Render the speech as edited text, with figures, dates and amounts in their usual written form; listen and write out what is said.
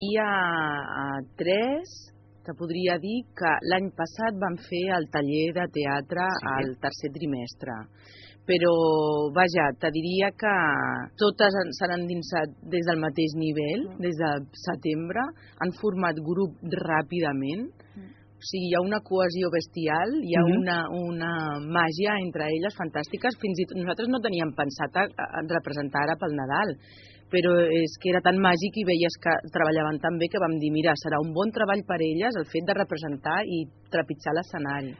Hi ha tres, te podria dir que l'any passat vam fer el taller de teatre al tercer trimestre. Però, vaja, te diria que totes s'han endinsat des del mateix nivell, des de setembre, han format grup ràpidament. O sigui, hi ha una cohesió bestial, hi ha una màgia entre elles fantàstiques. Fins i tot nosaltres no teníem pensat en representar ara pel Nadal, però és que era tan màgic i veies que treballaven tan bé que vam dir, mira, serà un bon treball per elles el fet de representar i trepitjar l'escenari.